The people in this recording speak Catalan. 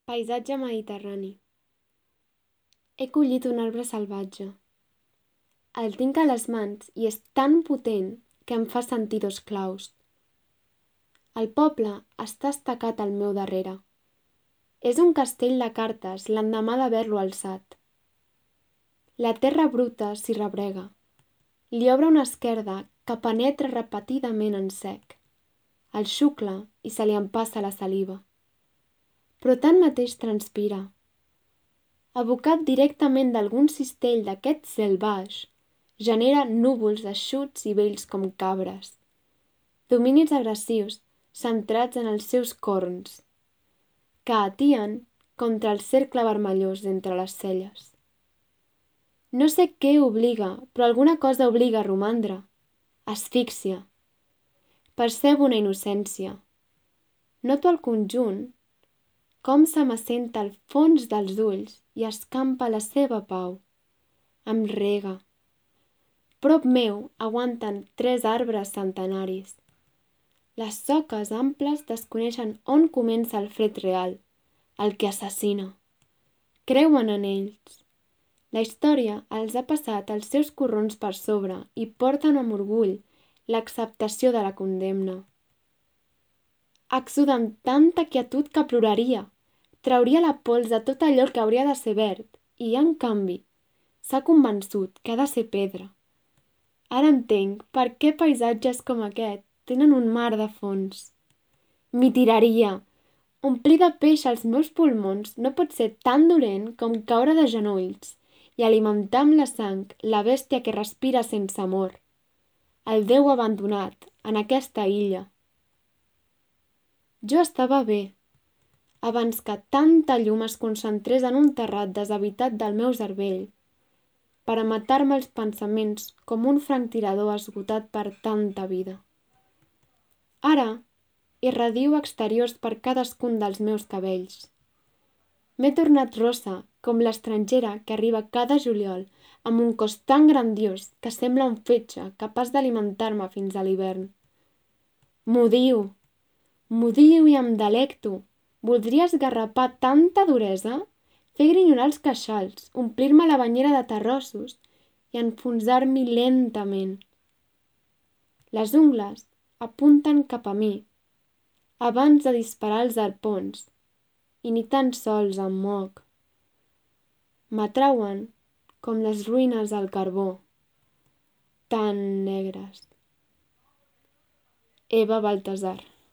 Paisatge mediterrani. He collit un arbre salvatge. El tinc a les mans i és tan potent que em fa sentir dos claus. El poble està estacat al meu darrere. És un castell de cartes l'endemà d'haver-lo alçat. La terra bruta s'hi rebrega. Li obre una esquerda que penetra repetidament en sec. El xucla i se li empassa la saliva. Però tanmateix transpira. Abocat directament d'algun cistell d'aquest cel baix, genera núvols eixuts i vells com cabres. Dominis agressius centrats en els seus corns, que atien contra el cercle vermellós d'entre les celles. No sé què obliga, però alguna cosa obliga a romandre. Asfíxia. Percebo una innocència. Noto el conjunt, com se m'assenta al fons dels ulls i escampa la seva pau. Em rega. Prop meu aguanten 3 arbres centenaris. Les soques amples desconeixen on comença el fred real, el que assassina. Creuen en ells. La història els ha passat els seus corrons per sobre i porten amb orgull l'acceptació de la condemna. Exuda amb tanta quietud que ploraria. Trauria la pols de tot allò que hauria de ser verd i, en canvi, s'ha convençut que ha de ser pedra. Ara entenc per què paisatges com aquest tenen un mar de fons. M'hi tiraria. Omplir de peix els meus pulmons no pot ser tan dolent com caure de genolls i alimentar amb la sang la bèstia que respira sense amor. El Déu abandonat en aquesta illa. Jo estava bé, abans que tanta llum es concentrés en un terrat deshabitat del meu cervell, per a matar-me els pensaments com un franctirador esgotat per tanta vida. Ara irradio exteriors per cadascun dels meus cabells. M'he tornat rossa com l'estrangera que arriba cada juliol amb un cos tan grandiós que sembla un fetge capaç d'alimentar-me fins a l'hivern. M'odio i em delecto. Voldria esgarrapar tanta duresa, fer grinyolar els queixals, omplir-me la banyera de terrossos i enfonsar-m'hi lentament. Les ungles apunten cap a mi, abans de disparar els arpons, i ni tan sols em moc. M'atrauen com les ruïnes al carbó, tan negres. Eva Baltasar.